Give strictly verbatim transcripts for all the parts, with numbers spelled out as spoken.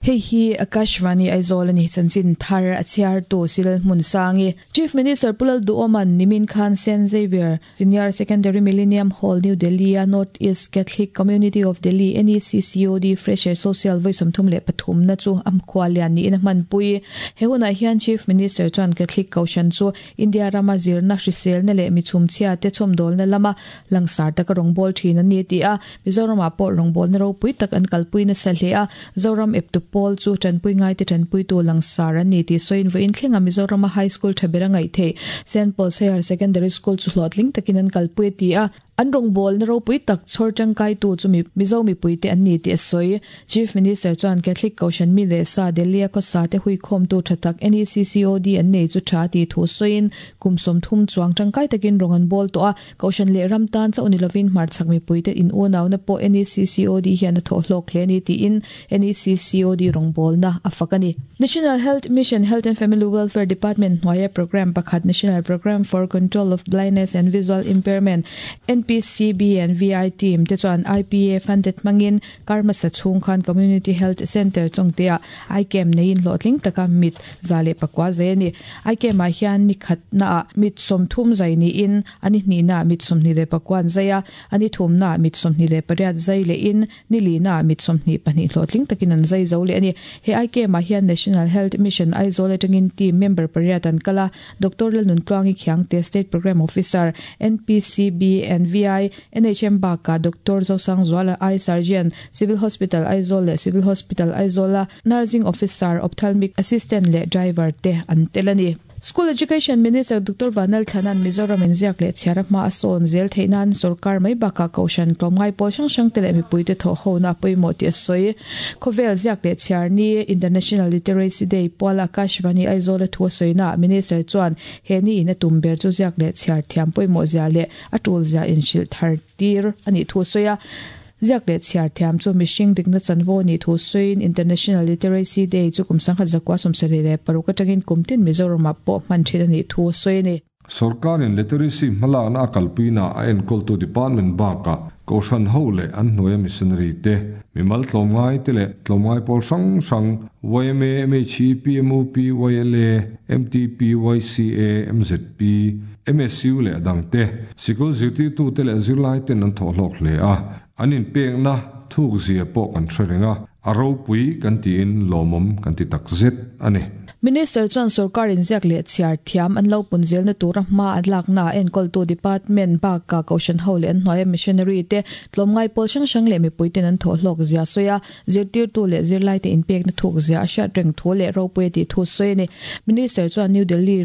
Hei hi Akashvani Aizawl ani chanchin thar a chhiar tu sil hmun sangi Chief Minister Pu Lalduhoma'n nimin khan Saint Xavier Senior Secondary Millennium Hall New Delhi a North East Catholic Community of Delhi N E C C O D Fresher Social voi sawmthum leh pathum na chu a khua lian niin a hmanpui. He hunah hian Chief Minister chuan Catholic Kohhran chu India rama zirna hriselna leh mi chhumchhia te chhawmdawlna lama langsar taka rawngbâwl ṭhin an ni ti a. Mizoramah pawh rawngbâwlna ropui tak an kalpui nasa hle a, Zoram eptu pawl chu ṭanpui ngaite ṭanpuitu langsar an ni tih sawiin vawiin thlenga Mizorama High School ṭha ber a ngaih theih Saint Paul's Higher Secondary School chu hlawhtling takin an kalpui a ti a. An rawngbâwlna ropui tak chhawr ṭangkaitu chu Mizo mipuite an ni tih a sawi. Chief Minister chuan Catholic Kohhran mi leh sa Delhi a khawsa te huikhawmtu ṭha tak N E C C O D an nei chu ṭha tih thu sawiin kum sawmthum chuang ṭangkai takin rawn an bawl tawh a, Kohhran leh ram tan chauh ni lovin hmarchhak mipuite in unauna pawh N E C C O D hian a thawh hlawk hle a ni tiin N E C C O D rawngbâwlna a fak a ni. National Health Mission Health and Family Welfare Department hnuaia program pakhat National Programme for Control of Blindness and Visual Impairment N P C B and V I team te chuan I P A funded hmangin karmasa chhung khan Community Health Centre chawngtea eye camp neiin hlawhtling taka mit za leh pakua zai a ni. Eye camp ah hian ni khatnaah mit sawmthum zai niin ani hnihnaah mit sawmhnih leh pakuan zai a, ani thumnaah mit sawmhnih leh pariat zai lehin ni linaah mit sawmhnih pahnih hlawhtling takin an zai zo leh a ni. He eye camp ah hian National Health Mission Aizawl atangin team member pariat an kal a, Doctor Lalnuntluangi Khiangte, State Programme Officer, N P C B and V I, N H M bakah Doctor Zosangzuala, Eye Surgeon, Civil Hospital Aizawl leh Civil Hospital Aizawla Nursing Officer, Ophthalmic Assistant leh Driver te an tel a ni. School Education Minister Doctor Vanlalthlana'n Mizoram in ziak leh chhiar a hma a sawn zel theih nan sorkar mai bakah Kohhran tlawmngai pawl hrang hrang te leh mipuite thawh hona pawimawh tih a sawi. Khawvel ziak leh chhiar ni International Literacy Day puala Akashvani Aizawl a thu a sawina Minister chuan he ni in a tum ber chu ziak leh chhiar thiam pawimawh zia leh a tul zia inhrilh thar tir ani thu sawi a. Ziak leh chhiar thiam chu mihring dikna chanvo ni thu sawiin International Literacy Day chu kum sangkhat zakua sawmsarih leh paruk atangin kumtin Mizoramah pawh hman thin ani thu sawi a ni. Sarkarin literacy hmalakna a kalpuina a enkawltu department bakah Kohhran ho leh an hnuaia missionary te, mimal tlawmngai te leh tlawmngai pawl hrang hrang Y M A, M H E, P M U P, Y L A, M T P, Y C A, M Z P, M S U leh a dangte, sikul zirtirtu te leh zirlai ten an thawh hlawk hle a, an inpekna thuk zia pawh kan hre reng a, a ropui kan tiin lawmawm kan ti tak zet a ni. Minister chuan sarkarin ziak leh chhiar thiam an lo pun zelna tura hma an lakna enkawltu department bakah Kohhran ho leh an hnuaia missionary te, tlawmngai pawl hrang hrang leh mipuiten an thawh hlawk zia sawi a, zirtirtu leh zirlai te inpekna thuk zia a hriat reng thu leh ropui a tih thu sawi a ni. Minister chuan New Delhi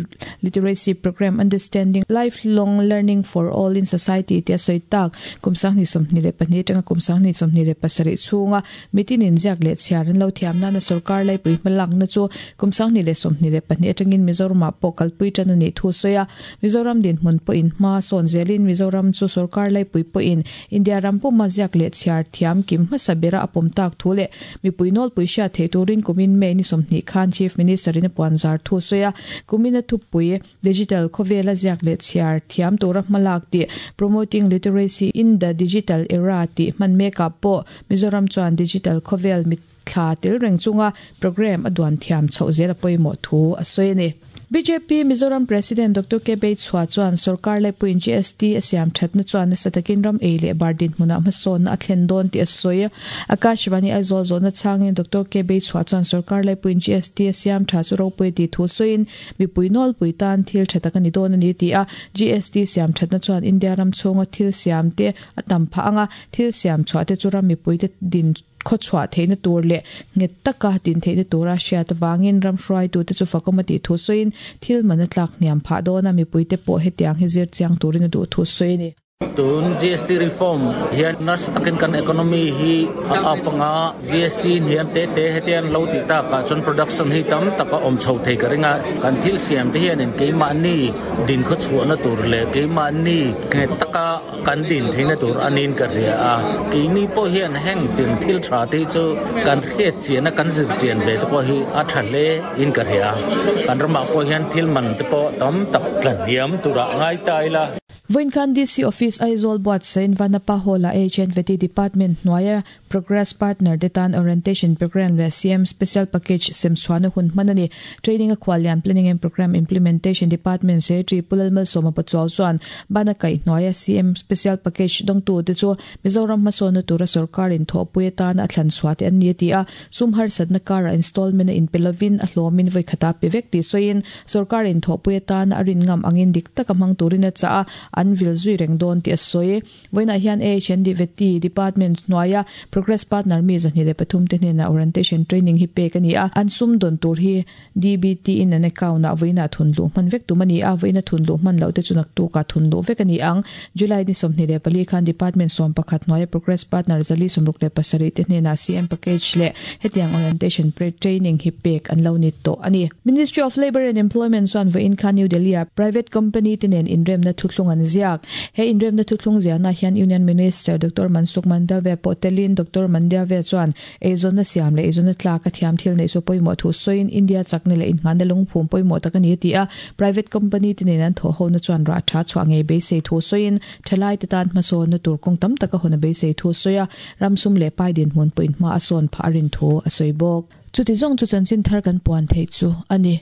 Literacy Program Understanding Lifelong Learning for All in Society te a sawi tak kum sanghnih sawmhnih leh pahnih atanga kum sanghnih sawmhnih leh pasarih chhunga mitinin ziak leh chhiar an lo thiam nana sarkar laipui hmalakna chu kum sanghnih leh sawmhnih leh pahnih atangin Mizoramah pawh kalpui tan ani thu sawi a. Mizoram dinhmun pawhin hma sawn zelin Mizoram chu sarkar laipui pawhin India ram puma ziak leh chhiar thiam kim hmasa bera a pawm tak thu leh mipui nawlpui hriat theih turin kumin May ni sawmhnih khan Chief Minister in a puan zar thu sawi a. Kumin a thupui digital khawvela ziak leh chhiar thiam tura hmalak tih Promoting Literacy in the Digital Era tih hman mekah pawh Mizoram chuan digital khawvel mit thla tel reng chunga program a duan thiam chhoh zel a pawimawh thu a sawi a ni. B J P Mizoram President Doctor K Beichhua chuan sarkar laipuiin G S T a siam thatna chuan nasa takin ram ei leh bar dinhmunah hmasawnna a thlen dawn tih a sawi. Akashvani Aizawl zawhna changin Doctor K Beichhua chuan sarkar laipuiin G S T a siam tha chu ropui tih thu sawiin mipui nawlpui tan thil tha tak ani dawn ani ti a. G S T siam thatna chuan India ram chhunga thil siam te a tam phah anga, thil siam chhuah te chu ram mipui te din khaw chhuah theihna tur leh nghet taka din theihna tura hriat awangin ram hruaitu te chu fakawm a tih thu sawiin thil man a tlak hniam phah dawn a, mipui te pawh hetiang hi zir chiang turin a duh thu sawi a ni. Tun G S T reform hian nasa takin kan economy hi a up anga, G S T hian te te hetian lo ti ta ka chuan production hi tam taka awm chho thei ka ringa. Kan thil siam te hian in keimahni din khaw chhuahna tur leh keimahni nge taka kan din theihna tur anin ka ria a. Keini pawh hian heng tin thil tha te chu kan hriat chian a, kan zir chian ve te pawh hi a tha hle in ka ria. Kan ramah pawh hian thil man te pawh tam tak tla hniam tura ngai ta ila. Voin khan D C Office Aizawl buatsain Vanapa Hall a H N V T Department hnuaia Progress Partner te tan Orientation Program leh C M Special Package semchhuahna hun hman a ni. Training a khuallian Planning and Program Implementation Department Secretary Pu Lalmalsawma Pachuau chuan bana kaih hnuaia C M Special Package dawngtu te chu Mizoram hmasawnna tura sorkarin thawhpui atana a thlan chhuah te an ni a ti a. Sum harsatna kara installment a inpe lovin a hlawmin vawi khata pe vek tih sawiin sorkarin thawhpui atana a rin ngam angin dik taka hmang turin a chah a, an vil zui reng dawn tih a sawi. Vawiinah hian A H N D V T Department hnuaia Progress Partner mi zahnih leh pathum te hnenah orientation training hi pek a ni a. An sum dawn tur hi D B T in an account ah vawiinah thun luh hman vek tum a ni a. Vawiina thun luh hman loh te chu naktukah thun luh vek a ni ang. July ni sawmhnih leh pali khan Department sawm pakhat hnuaia Progress Partner zali sawmruk leh pasarih te hnenah C M package leh hetiang orientation training hi pek an lo ni tawh a ni. Ministry of Labour and Employment chuan vawiin khan New Delhi a private company te nen inremna thuthlung an ziak. He inremna thuthlung ziahna hian Union Minister Doctor Mansukh Mandaviya pawh telin Doctor Mandaviya chuan eizawnna siam leh eizawnna tlak a thiam thil neih chu pawimawh thu sawiin India chakna leh inngahna lungphum pawimawh tak a ni a ti a. Private company te nen an thawh hona chuan rah tha chhuah ngei beisei thu sawiin thalai te tan hmasawnna tur kawng tam taka hawn a beisei thu sawi a. Ramsum leh pai dinhmun pawh in hma a sawn phah a rin thu a sawi bawk. Chuti zawng chu chanchin thar kan puan theih chu a ni.